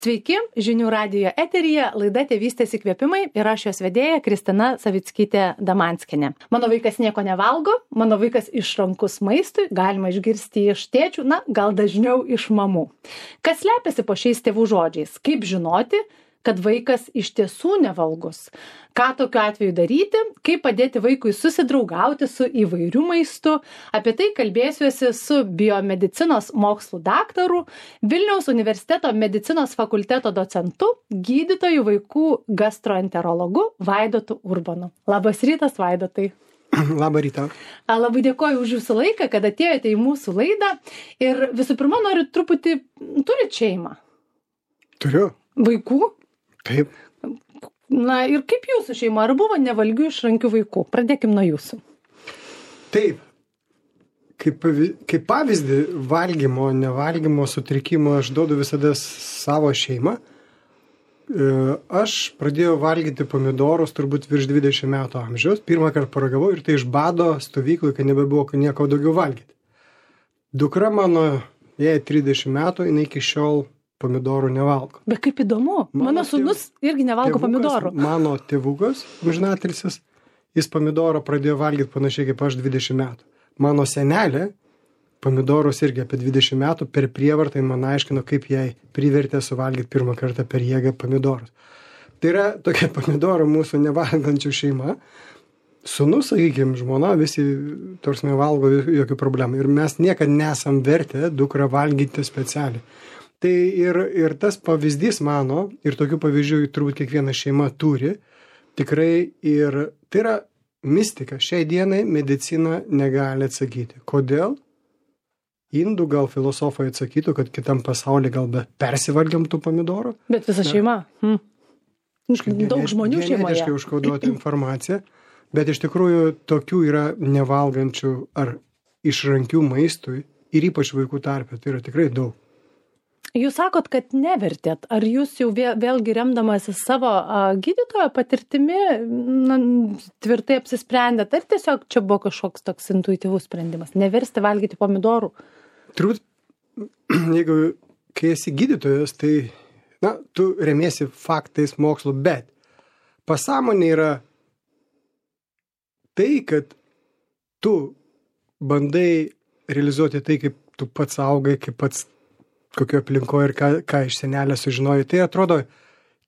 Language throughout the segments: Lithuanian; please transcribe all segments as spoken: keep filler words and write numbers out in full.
Sveiki, žinių radijo eteryje, laida Tėvystės įkvėpimai ir aš jos vedėja Kristina Savickytė Damanskienė. Mano vaikas nieko nevalgo, mano vaikas išrankus maistui, galima išgirsti iš tėčių, na, gal dažniau iš mamų. Kas slepiasi po šiais tėvų žodžiais? Kaip žinoti, kad vaikas iš tiesų nevalgus? Ką tokiu atveju daryti? Kaip padėti vaikui susidraugauti su įvairiu maistu? Apie tai kalbėsiuosi su biomedicinos mokslų daktaru, Vilniaus universiteto medicinos fakulteto docentu, gydytoju vaikų gastroenterologu Vaidotu Urbonu. Labas rytas, Vaidotai. Labą rytą. Labai dėkoju už jūsų laiką, kad atėjote į mūsų laidą. Ir visų pirma, noriu truputį, turit šeimą? Turiu. Vaikų? Taip. Na ir kaip jūsų šeima? Ar buvo nevalgių išrankių vaikų? Pradėkim nuo jūsų. Taip. Kaip, kaip pavyzdį valgymo, nevalgymo sutrikimo aš duodu visada savo šeimą. Aš pradėjau valgyti pomidorus turbūt virš dvidešimt metų amžiaus. Pirmą kartą paragavau ir tai iš bado stovyklui, kad nebebuvo nieko daugiau valgyti. Dukra mano, jai trisdešimt metų, jinai iki šiol pomidorų nevalgo. Bet kaip įdomu, mano, mano sūnus tėv... irgi nevalgo tėvukas, pomidorų. Mano tėvukas, amžinatilsis, jis pomidorą pradėjo valgyti panašiai kaip aš dvidešimt metų. Mano senelė pomidorus irgi apie dvidešimt metų per prievartą man aiškino, kaip jai privertė suvalgyti pirmą kartą per jėgą pomidorus. Tai yra tokia pomidorų mūsų nevalgančių šeima. Sūnus, sakykime, žmona, visi torsme valgo jokių problemų. Ir mes niekad nesam vertę dukrą valgyti specialiai. Tai ir, ir tas pavyzdys mano, ir tokių pavyzdžių turbūt kiekviena šeima turi, tikrai ir tai yra mistika. Šiai dienai medicina negali atsakyti. Kodėl? Indų gal filosofai atsakytų, kad kitam pasaulyje gal be persivalgiam tų pomidorų. Bet visa šeima. Hmm. Daug žmonių šeimoje. Genetiškai užkoduota informacija, bet iš tikrųjų tokių yra nevalgančių ar išrankių maistui ir ypač vaikų tarpe. Tai yra tikrai daug. Jūs sakot, kad nevertėt. Ar jūs jau vėl, vėlgi remdamasi savo a, gydytojo patirtimi na, tvirtai apsisprendėt, ar tiesiog čia buvo kažkoks toks intuityvus sprendimas? Neversti valgyti pomidorų? Turbūt, jeigu kai esi gydytojas, tai na, tu remiesi faktais mokslu, bet pasąmonė yra tai, kad tu bandai realizuoti tai, kaip tu pats augai, kaip pats kokio aplinkoje ir ką, ką iš senelio sužinojai. Tai atrodo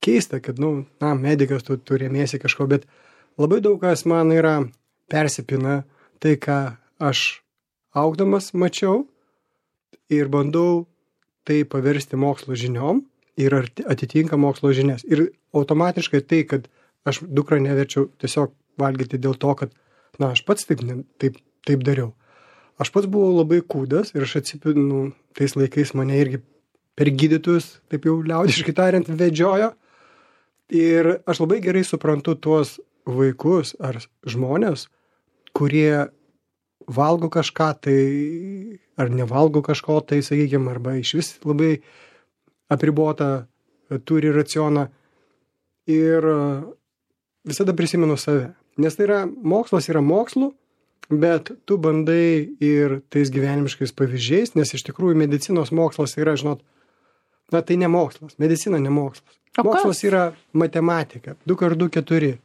keista, kad, nu, na, medikas, tu, tu remiesi kažko, bet labai daug kas man yra persipina tai, ką aš augdamas mačiau ir bandau tai paversti mokslo žiniom ir atitinka mokslo žinias. Ir automatiškai tai, kad aš dukrą neverčiau tiesiog valgyti dėl to, kad, na, aš pats taip, taip, taip dariau. Aš pats buvau labai kūdas ir aš atsipinu, tais laikais mane irgi per gydytojus, taip jau liaudiškai tariant, vedžiojo. Ir aš labai gerai suprantu tuos vaikus ar žmonės, kurie valgo kažką tai, ar nevalgo kažko tai, sakykime, arba iš vis labai apribota turi racioną. Ir visada prisimenu save. Nes tai yra, mokslas yra mokslu, bet tu bandai ir tais gyvenimiškais pavyzdžiais, nes iš tikrųjų medicinos mokslas yra, žinot, na tai ne mokslas, medicina ne mokslas. O mokslas kas? Yra matematika, du kart du keturi.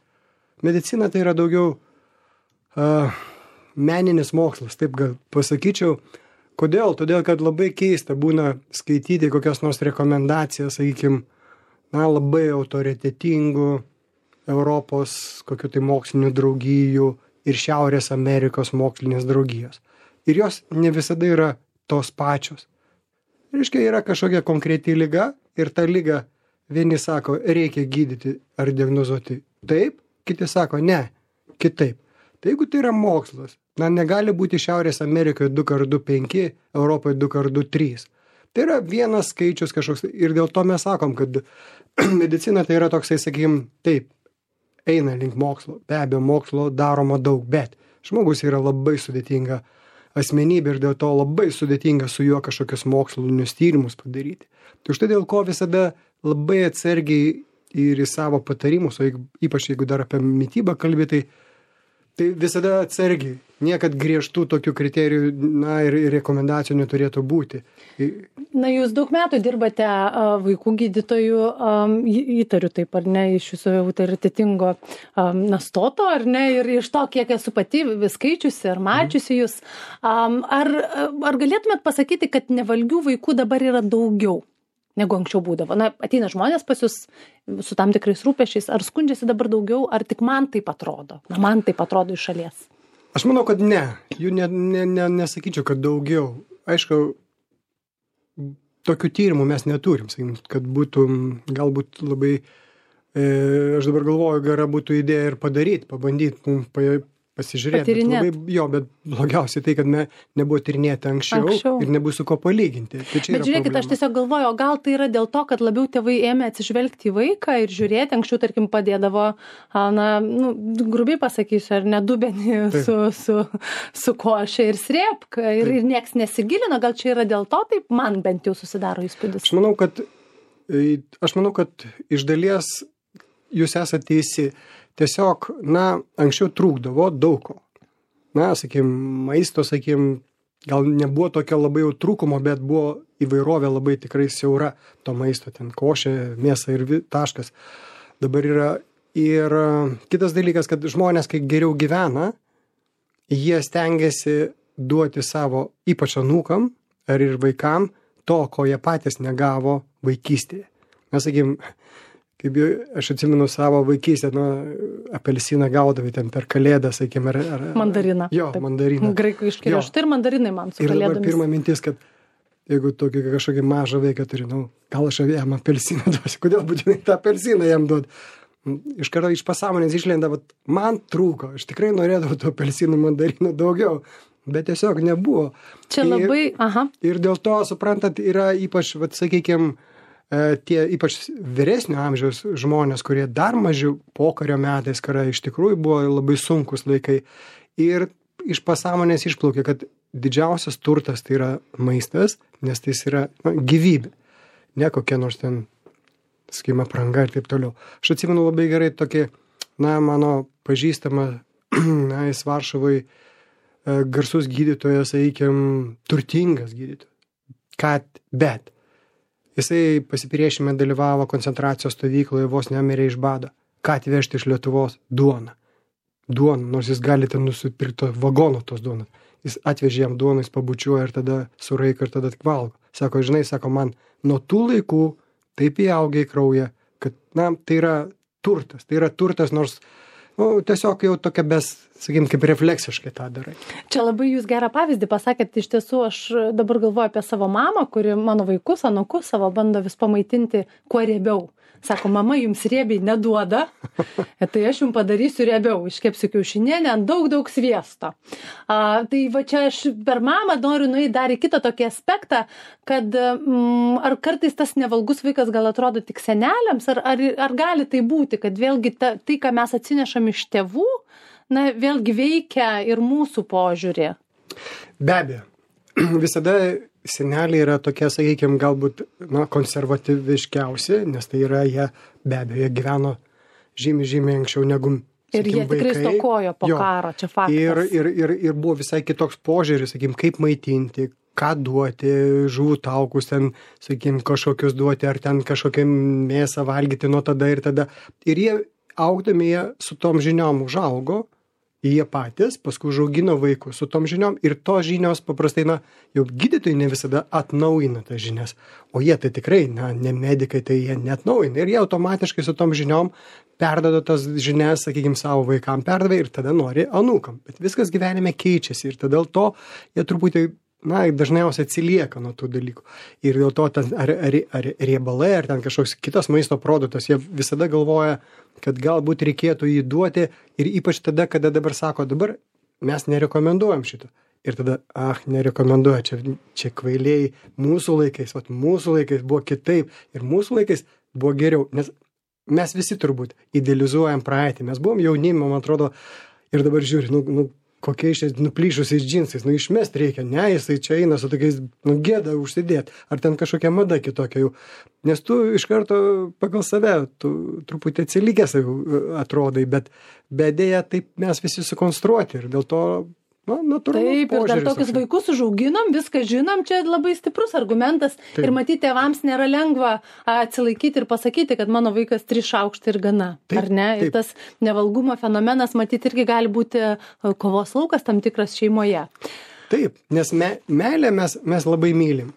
Medicina tai yra daugiau uh, meninis mokslas, taip gal pasakyčiau. Kodėl? Todėl, kad labai keista būna skaityti kokias nors rekomendacijas, sakykime, na labai autoritetingų Europos kokių tai mokslinių draugijų ir Šiaurės Amerikos mokslinės draugijos. Ir jos ne visada yra tos pačios. Reiškia, yra kažkokia konkreti liga ir ta liga vieni sako, reikia gydyti ar diagnozuoti taip, kiti sako, ne, kitaip. Tai jeigu tai yra mokslas, na, negali būti Šiaurės Amerikoje du kart du penki, Europoje du kart du trys. Tai yra vienas skaičius kažkoks ir dėl to mes sakom, kad medicina tai yra toksai, sakykim, taip, eina link mokslo. Be abejo, mokslo daroma daug, bet žmogus yra labai sudėtinga asmenybė ir dėl to labai sudėtinga su juo kažkokius mokslinius tyrimus padaryti. Tai štai dėl ko visada labai atsargiai ir į savo patarimus, o jeigu, ypač jeigu dar apie mitybą kalbėti, tai Tai visada atsargiai. Niekad griežtų tokių kriterijų, na, ir, ir rekomendacijų neturėtų būti. Na, jūs daug metų dirbate a, vaikų gydytojų, um, įtariu taip, ar ne, iš jūsų autoritetingo um, nastoto, ar ne, ir iš to, kiek esu pati skaičiusi ar mačiusi jūs. Um, ar, ar galėtumėt pasakyti, kad nevalgių vaikų dabar yra daugiau negu anksčiau būdavo? Na, ateina žmonės pas jūs su tam tikrais rūpešiais, ar skundžiasi dabar daugiau, ar tik man taip atrodo? Na, man taip atrodo iš šalies. Aš manau, kad ne. Jų ne, ne, ne, nesakyčiau, kad daugiau. Aišku, tokių tyrimų mes neturim, sakykim, kad būtų galbūt labai, e, aš dabar galvoju, gera būtų idėja ir padaryti, pabandyti, mums pa, pasižiūrėti. Bet labai, jo, bet blogiausiai tai, kad me, nebuvo tyrinėti anksčiau, anksčiau ir nebus su ko palyginti. Tai bet žiūrėkit, problema. Aš tiesiog galvoju, o gal tai yra dėl to, kad labiau tėvai ėmė atsižvelgti į vaiką ir žiūrėti, anksčiau, tarkim, padėdavo, na, nu, grubiai pasakysiu, ar ne, dubenį su, su, su koše ir srėpka ir, ir nieks nesigilino, gal čia yra dėl to, taip man bent jau susidaro įspūdis. Aš manau, kad, aš manau, kad iš dalies jūs esate teisi. Tiesiog, na, anksčiau trūkdavo daug ko. Na, sakykim, maisto, sakykim, gal nebuvo tokio labai jau trūkumo, bet buvo įvairovė labai tikrai siaura to maisto, ten košė, mėsa ir taškas. Dabar yra ir kitas dalykas, kad žmonės, kai geriau gyvena, jie stengiasi duoti savo, ypač anūkam ar ir vaikam, to, ko jie patys negavo vaikystėje. Mes, sakykim, kaip jau, aš atsimenu savo vaikystę, nu, apelsiną gaudavai ten per kalėdą, sakykim, ar... ar mandariną. Jo, taip. Mandariną. Graikų iškėliau. Štai ir mandarinai man su ir kalėdomis. Ir dabar pirma mintis, kad jeigu tokį kažkokį mažą vaiką turi, nu, gal aš jam apelsiną duosiu, kodėl būtinai tą apelsiną jam duot? Iš karto iš pasąmonės išlenda, bet man trūko, aš tikrai norėdavau tų apelsinų mandarinų daugiau, bet tiesiog nebuvo. Čia labai, ir, aha. Ir dėl to, suprantat, yra ypač, vat, sakykime, tie ypač vyresnio amžiaus žmonės, kurie dar mažiau pokario metais, kai iš tikrųjų buvo labai sunkus laikai. Ir iš pasąmonės išplaukė, kad didžiausias turtas tai yra maistas, nes tai yra na, gyvybė. Ne kokia nors ten, sakykime, apranga ir taip toliau. Aš atsimenu labai gerai tokį, na, mano pažįstama, na, jis Varšuvai garsus gydytojas, sakykime, turtingas gydytojas. Kad, bet. Jisai pasipriešime dalyvavo koncentracijos stovykloje, vos nemirė iš bado. Ką atvežti iš Lietuvos? Duoną. Duoną, nors jis gali ten nusipirkti vagono tos duonos. Jis atvežė jam duoną, jis pabučiuoja ir tada suraiko ir tada tik valgo. Sako, žinai, sako, man nuo tų laikų taip įaugė į kraują, kad, na, tai yra turtas. Tai yra turtas, nors, nu, tiesiog jau tokia bes, sakykim, kaip refleksiškai tą darai. Čia labai jūs gerą pavyzdį pasakėt, iš tiesų aš dabar galvoju apie savo mamą, kuri mano vaikus, anūkus savo bando vis pamaitinti kuo riebiau. Sako, mama jums riebiai neduoda, tai aš jums padarysiu riebiau, iškepsiu kiaušinienę ant daug, daug sviesto. A, tai va čia aš per mamą noriu nueiti dar į kitą tokį aspektą, kad mm, ar kartais tas nevalgus vaikas gal atrodo tik seneliams, ar, ar, ar gali tai būti, kad vėlgi ta, tai, ką mes atsinešam iš tėvų, na, vėlgi veikia ir mūsų požiūrį. Be abejo. Visada seneliai yra tokie, sakykime, galbūt na, konservatyviškiausi, nes tai yra jie, be abejo, jie gyveno žymiai, žymiai anksčiau negu, sakykime, ir jie tikrai vaikai. Stokojo po jo. Karo, čia faktas. Ir, ir, ir, ir buvo visai kitoks požiūris, sakykime, kaip maitinti, ką duoti, žuvų taukus ten, sakykime, kažkokius duoti, ar ten kažkokią mėsą valgyti nuo tada ir tada. Ir jie, augdami, jie su tom žiniom užaugo, jie patys, paskui užaugino vaikus su tom žiniom ir tos žinios paprastai, na, jau gydytojai ne visada atnaujina tas žinias, o jie tai tikrai, na, ne medikai, tai jie neatnaujina ir jie automatiškai su tom žiniom perdado tas žinias, sakykime, savo vaikam perdavė ir tada nori anūkam, bet viskas gyvenime keičiasi ir tada dėl to jie truputį, na, dažniausiai atsilieka nuo tų dalykų. Ir dėl to ten, ar, ar, ar riebalai, ar ten kažkoks kitas maisto produktas, jie visada galvoja, kad galbūt reikėtų jį duoti ir ypač tada, kada dabar sako, dabar mes nerekomenduojam šito. Ir tada, ah, nerekomenduoja, čia, čia kvailiai mūsų laikais, vat mūsų laikais buvo kitaip ir mūsų laikais buvo geriau, nes mes visi turbūt idealizuojam praeitį, mes buvom jaunimi, man atrodo, ir dabar žiūri, nu, nu kokiais čia nuplyšusiais džinsais, nu išmest reikia, ne, jisai čia eina su tokiais, nu gėda užsidėt, ar ten kažkokia mada kitokia jau, nes tu iš karto pagal save, tu truputį atsilikęs atrodai, bet bedėja taip mes visi sukonstruoti ir dėl to, na, natūralu. Taip, ir dar tokius vaikus užauginom, viską žinom, čia labai stiprus argumentas. Taip. Ir matyti, tėvams nėra lengva atsilaikyti ir pasakyti, kad mano vaikas tris šaukštai ir gana. Taip, ar ne? Taip. Ir tas nevalgumo fenomenas, matyti, irgi gali būti kovos laukas tam tikras šeimoje. Taip, nes me, meilę mes, mes labai mylim.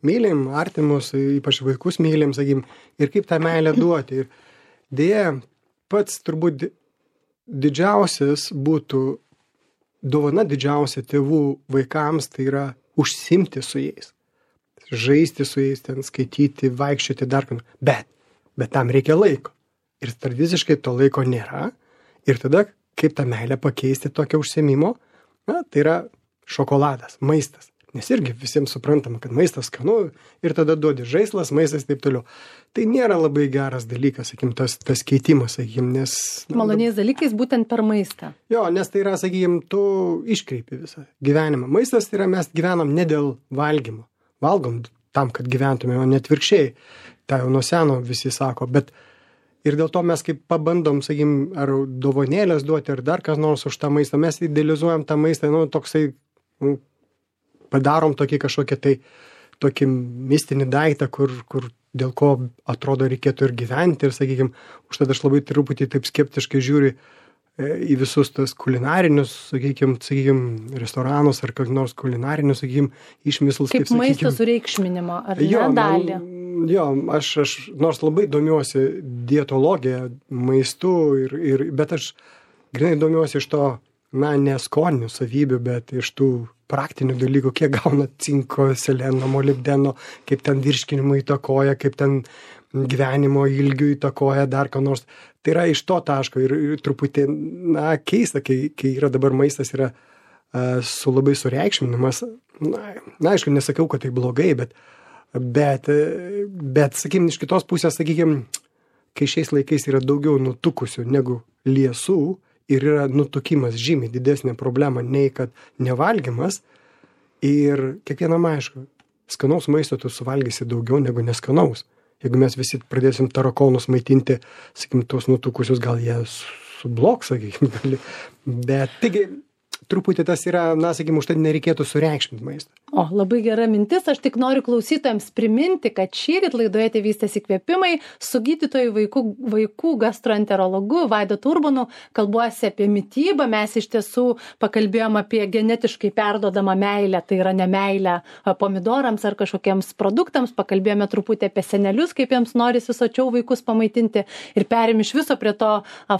Mylim artimus, ypač vaikus mylim, sakykim, ir kaip tą meilę duoti. Ir dėja, pats turbūt didžiausias būtų dovana didžiausia tėvų vaikams, tai yra užsimti su jais, žaisti su jais, ten skaityti, vaikščioti dar ką. Bet, bet tam reikia laiko. Ir tradiciškai to laiko nėra. Ir tada, kaip tą meilę pakeisti tokio užsiėmimo, na, tai yra šokoladas, maistas. Nes irgi visiems suprantama, kad maistas skanu ir tada duodi žaislas, maistas ir taip toliau. Tai nėra labai geras dalykas, sakykim, tas, tas keitimas, sakykim, nes... Na, maloniais dalykais būtent per maistą. Jo, nes tai yra, sakykim, tu iškreipi visą gyvenimą. Maistas tai yra, mes gyvenam ne dėl valgymo. Valgom tam, kad gyventume, o net virkščiai. Tai jau nuo seno visi sako, bet ir dėl to mes kaip pabandom, sakykim, ar dovanėlės duoti, ar dar kas nors už tą maistą, mes idealizuojam tą maistą, nu, toksai... Nu, padarom tokį kažkokį tai tokį mistinį daiktą, kur, kur dėl ko atrodo reikėtų ir gyventi ir, sakykime, užtat aš labai truputį taip skeptiškai žiūriu į visus tas kulinarinius, sakykime, sakykime, restoranus ar kokius nors kulinarinius, sakykime, išmislus. Kaip, kaip maisto sureikšminimo, ar jo, ne dalį? Man, jo, aš, aš nors labai domiuosi dietologiją, maistu, ir, ir, bet aš grinai domiuosi iš to, na, ne skoninių savybių, bet iš tų praktinių dalykų, kiek gauna cinko, seleno, molibdeno, kaip ten virškinimo įtakoja, kaip ten gyvenimo ilgių įtakoja, dar ką nors. Tai yra iš to taško ir, ir truputį, na, keista, kai, kai yra dabar maistas yra uh, su labai sureikšminimas. Na, na, aišku, nesakau, kad tai blogai, bet, bet, bet sakykim, iš kitos pusės, sakykim, kai šiais laikais yra daugiau nutukusių negu liesų, ir yra nutukimas žymiai didesnė problema nei kad nevalgymas. Ir kiekvienam aišku, skanaus maisto tu suvalgysi daugiau negu neskanaus. Jeigu mes visi pradėsim tarakonus maitinti, sakykim, tuos nutukusius, gal jie subloks, sakykim, gali. Bet taigi, truputį tas yra, na, sakykim, už tai nereikėtų sureikšminti maistą. O, labai gera mintis. Aš tik noriu klausytojams priminti, kad šįryt laidoje Tėvystės įkvėpimai su gydytoju vaikų, vaikų gastroenterologu Vaidotu Urbonu kalbuosi apie mitybą. Mes iš tiesų pakalbėjom apie genetiškai perdodamą meilę, tai yra nemeilę pomidorams ar kažkokiems produktams. Pakalbėjome truputį apie senelius, kaip jiems norisi sočiau vaikus pamaitinti ir perėm iš viso prie to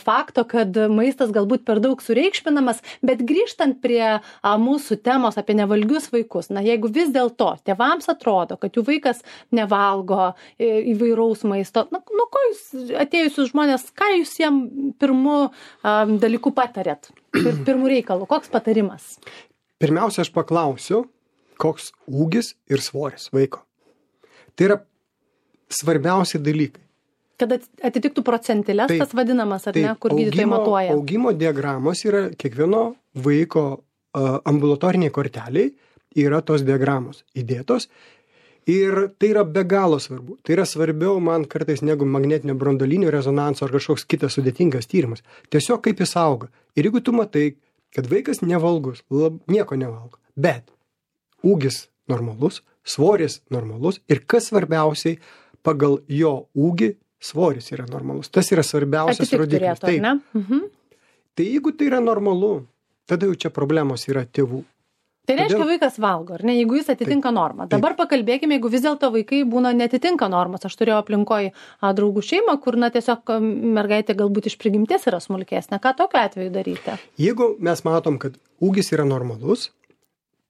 fakto, kad maistas galbūt per daug sureikšminamas, bet grįžtant prie a, mūsų temos apie nevalgius vaikus. Na, jeigu vis dėlto tėvams atrodo, kad jų vaikas nevalgo įvairaus maisto, na, nu, ko jūs atėjusius žmonės, ką jūs jiem pirmu um, dalyku patarėt? Pir, pirmų reikalų, koks patarimas? Pirmiausia, aš paklausiu, koks ūgis ir svoris vaiko. Tai yra svarbiausi dalykai. Kad atitiktų procentilės, taip, tas vadinamas, ar taip, ne, kur gydytojai matuoja? Augimo diagramos yra kiekvieno vaiko uh, ambulatoriniai korteliai, yra tos diagramos įdėtos ir tai yra be galo svarbu. Tai yra svarbiau man kartais negu magnetinio branduolinio rezonanso ar kažkoks kitas sudėtingas tyrimas. Tiesiog kaip jis auga. Ir jeigu tu matai, kad vaikas nevalgus, lab, nieko nevalgo, bet ūgis normalus, svoris normalus ir kas svarbiausiai, pagal jo ūgį svoris yra normalus. Tas yra svarbiausias rodiklis. Tai, mhm. Tai jeigu tai yra normalu, tada jau čia problemos yra tėvų. Tai reiškia, Todėl... vaikas valgo, ar ne, jeigu jis atitinka taip, normą. Dabar taip. Pakalbėkime, jeigu vis dėlto vaikai būna netitinka normos. Aš turėjau aplinkoj a, draugų šeimą, kur, na, tiesiog mergaitė galbūt iš prigimties yra smulkesnė. Ką tokiu atveju daryti? Jeigu mes matom, kad ūgis yra normalus,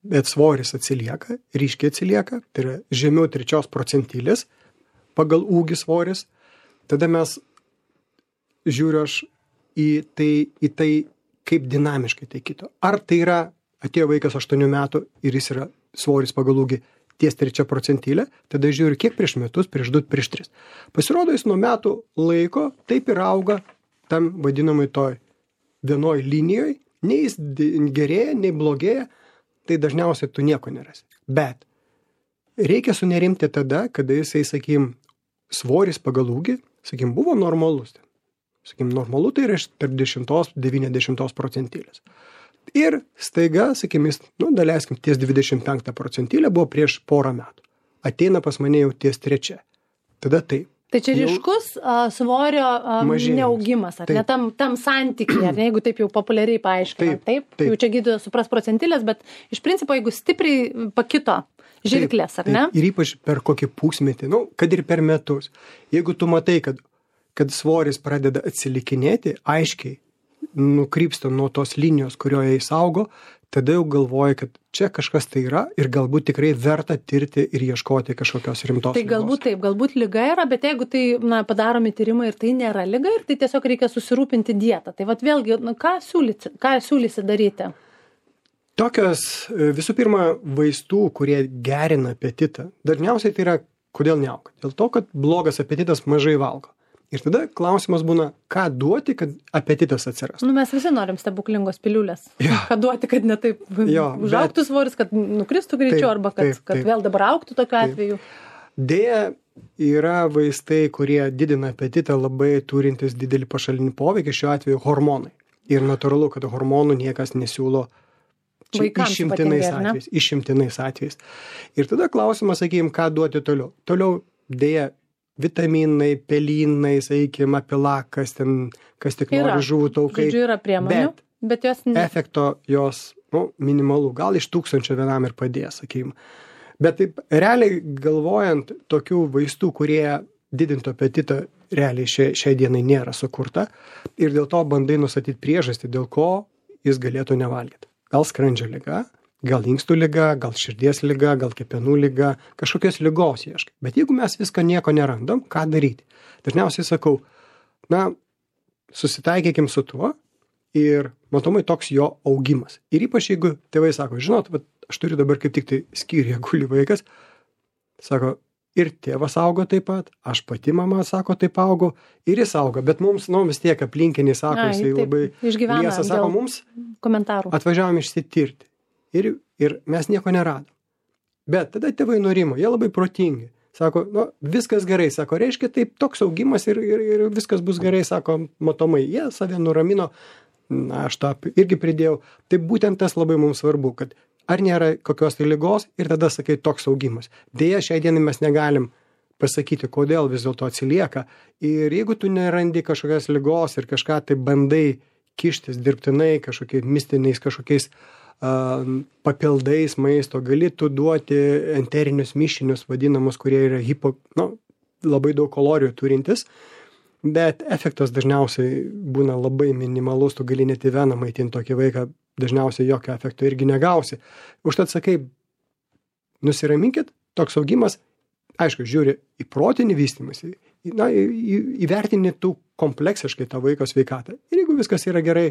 bet svoris atsilieka, ryškiai atsilieka, tai yra žemiau trečios procentilės pagal ūgį svoris, tada mes žiūriu aš į tai, į tai kaip dinamiškai tai kito. Ar tai yra atėjo vaikas aštuonių metų ir jis yra svoris pagal ūgį ties trečia procentilė, tada žiūriu, kiek prieš metus, prieš du, prieš tris. Pasirodo, jis nuo metų laiko taip ir auga tam vadinamai toj vienoj linijoj Nei jis gerėja, nei blogėja, tai dažniausiai tu nieko nerasi. Bet reikia sunerimti tada, kada jisai, sakykim, svoris pagal ūgį, sakykim, buvo normalus. Sakykim, normalu tai yra tarp dešimtos devyniasdešimtos procentilės. Ir staiga, sakykim, jis, nu, daleiskim, ties dvidešimt penktą procentilę buvo prieš porą metų. Ateina pas mane jau ties trečia. Tada taip. Tai čia ryškus uh, svorio uh, neaugimas, ar taip. Ne tam, tam santykiai, ar ne, jeigu taip jau populiariai paaiškinant, taip, taip, taip. Jau čia gydytojas supras procentilės, bet iš principo, jeigu stipriai pakito žirklės, ar ne? Taip. Ir ypač per kokį pusmetį, nu, kad ir per metus. Jeigu tu matai, kad, kad svoris pradeda atsilikinėti, aiškiai nukrypsta nuo tos linijos, kurioje jis augo, tada jau galvoji, kad čia kažkas tai yra ir galbūt tikrai verta tirti ir ieškoti kažkokios rimtos Tai ligos. galbūt taip, galbūt liga yra, bet jeigu tai, na, padaromi tyrimai ir tai nėra liga, ir tai tiesiog reikia susirūpinti dietą. Tai vat vėlgi, na, ką siūlysi, ką siūlysi daryti? Tokios, visų pirma, vaistų, kurie gerina apetitą, dažniausiai tai yra, kodėl neauga? Dėl to, kad blogas apetitas mažai valgo. Ir tada klausimas būna, ką duoti, kad apetitas atsirastų. Nu, mes visi norim stebuklingos piliulės. Ja. Ką duoti, kad ne taip jo, užaugtų bet... svoris, kad nukristų greičiau, taip, arba kad, taip, kad taip. vėl dabar augtų tokiu Taip. atveju. Deja, yra vaistai, kurie didina apetitą, labai turintis didelį pašalinį poveikį, šiuo atveju hormonai. Ir natūralu, kad hormonų niekas nesiūlo čia Vaikams išimtinais ypatingai, ar ne? atvejais. Išimtinais atvejais. Ir tada klausimas, sakykime, ką duoti toliau. Toliau, deja, vitaminai, pelynai, sakykim, apilakas, ten, kas tik Yra. nori, žuvų taukai. Žodžiu, yra priemonių, Bet bet jos ne. efekto jos, nu, minimalų, gal iš tūkstančio vienam ir padės, sakykim. Bet taip, realiai galvojant, tokių vaistų, kurie didintų apetitą, realiai šiai, šiai dienai nėra sukurta ir dėl to bandai nustatyti priežastį, dėl ko jis galėtų nevalgyti. Gal skrandžio liga, gal inkstų liga, gal širdies liga, gal kepenų liga, kažkokios ligos ieškai. Bet jeigu mes visko nieko nerandam, ką daryti? Dažniausiai sakau, na, susitaikykim su tuo ir matomai toks jo augimas. Ir ypač jeigu tėvai sako, žinot, bet aš turiu dabar kaip tik tai skyriuje guli vaikas, sako, ir tėvas augo taip pat, aš pati mama, sako, taip augo, ir jis augo, bet mums, nu, vis tiek aplinkiniai sako, Ai, jisai taip, labai išgyvena liesa, sako, dėl mums komentarų. atvažiavom išsitirti. Ir, ir mes nieko neradom. Bet tada tėvai nurimo, jie labai protingi. Sako, nu, viskas gerai, sako, reiškia, taip toks augimas ir, ir, ir viskas bus gerai, sako, matomai, jie save nuramino, na, aš tą irgi pridėjau. Tai būtent tas labai mums svarbu, kad ar nėra kokios tai ligos ir tada sakai toks augimas. Deja, šiai dienai mes negalim pasakyti, kodėl vis dėlto atsilieka. Ir jeigu tu nerandi kažkokios ligos ir kažką tai bandai kištis dirbtinai, kažkokiais mistiniais, kažkokiais papildais maisto, gali tu duoti enterinius mišinius vadinamus, kurie yra hipo, nu, labai daug kalorijų turintis, bet efektas dažniausiai būna labai minimalus, tu gali net į veną maitinti tokį vaiką, dažniausiai jokio efekto irgi negausi. Užtat sakai, nusiraminkit, toks augimas, aišku, žiūri į protinį vystymąsi, na, į, į, įvertini tu kompleksiškai tą vaiko sveikatą. Ir jeigu viskas yra gerai,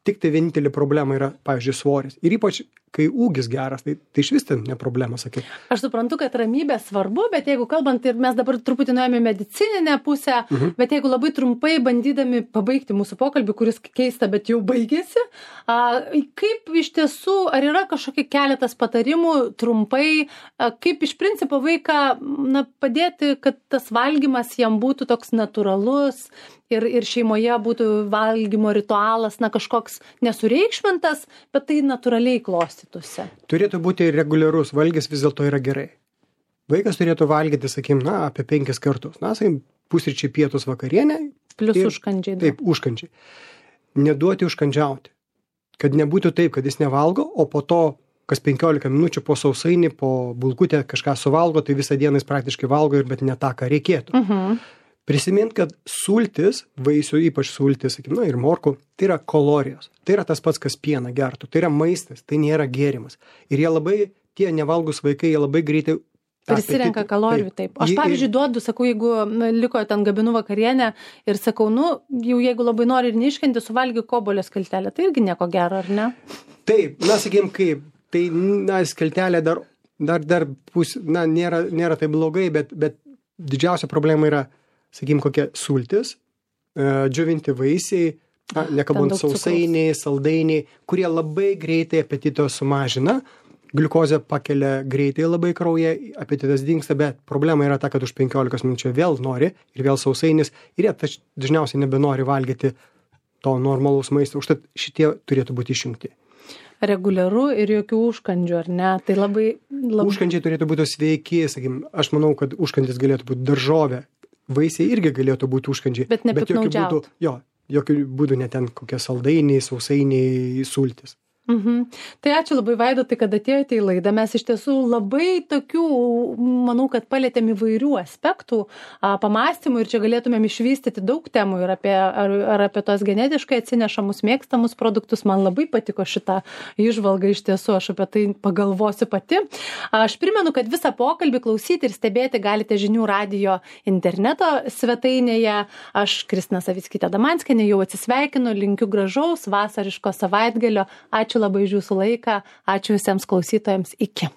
tik tai vienintelė problema yra, pavyzdžiui, svoris. Ir ypač, kai ūgis geras, tai, tai iš vis ten ne problema, sakai. Aš suprantu, kad ramybė svarbu, bet jeigu kalbant, ir mes dabar truputį nuėjome medicininę pusę, mhm. bet jeigu labai trumpai bandydami pabaigti mūsų pokalbį, kuris keista, bet jau baigėsi, a, kaip iš tiesų, ar yra kažkokie keletas patarimų trumpai, a, kaip iš principo vaiką, na, padėti, kad tas valgymas jam būtų toks natūralus ir, ir šeimoje būtų valgymo ritualas, na, kažkoks nesureikšmintas, bet tai natūraliai klostytųsi. Turėtų būti reguliarus valgis, vis dėlto yra gerai. Vaikas turėtų valgyti, sakykim, na, apie penkis kartus. Na, sakykim, pusryčiai, pietus, vakarienė. Plius ir, užkandžiai. Taip, užkandžiai. Neduoti užkandžiauti. Kad nebūtų taip, kad jis nevalgo, o po to, kas penkiolika minučių po sausainį, po bulkutę kažką suvalgo, tai visą dieną jis praktiškai valgo, bet ne tą, ką reikėtų. Mhm. Prisimint, kad sultis, vaisių, ypač sultis, sakykim, na, ir morkų, tai yra kalorijos. Tai yra tas pats, kas pieną gertų. Tai yra maistas, tai nėra gėrimas. Ir jie labai, tie nevalgus vaikai, jie labai greitai prisirenka kalorijų, taip. taip. Aš, pavyzdžiui, duodu, sakau, jeigu liko ten gabinu vakarienę ir sakau, nu, jau jeigu labai nori ir neiškenti, suvalgy kobolio skeltelę, tai irgi nieko gero, ar ne? Taip, na, sakykim, kaip, tai, na, skeltelė dar, dar, dar pus, na, nėra, nėra tai blogai, bet, bet didžiausia problema yra, sakykim, kokia sultis, džiovinti vaisiai, Na, nekalbant sausainiai, saldainiai, kurie labai greitai apetito sumažina, gliukozę pakelia greitai labai kraujyje, apetitas dingsta, bet problema yra ta, kad už penkiolikos minučių vėl nori ir vėl sausainis ir jie tač, dažniausiai nebenori valgyti to normalaus maisto, užtat šitie turėtų būti išjungti. Reguliaru ir jokių užkandžių, ar ne? Tai labai... labai... Užkandžiai turėtų būti sveiki, sakykim, aš manau, kad užkandis galėtų būti daržovė, vaisiai irgi galėtų būti užkandžiai. Bet nepiknaudžiaut. Jo, jokių būdų ne ten kokie saldainiai, sausainiai, sultis. Mhm. Tai ačiū labai, Vaidotai, kad atėjote į laidą. Mes iš tiesų labai tokių, manau, kad palėtėm įvairių aspektų, a, pamastymų ir čia galėtumėm išvystyti daug temų ir apie, ar, ar apie tos genetiškai atsinešamus mėgstamus produktus. Man labai patiko šitą įžvalgą, iš tiesų aš apie tai pagalvosiu pati. Aš primenu, kad visą pokalbį klausyti ir stebėti galite žinių radijo interneto svetainėje. Aš, Kristina Savickytė Damanskienė, jau atsisveikinu, linkiu gražaus vasariško savaitgalio. Ačiū labai už jūsų laiką, ačiū visiems klausytojams, iki.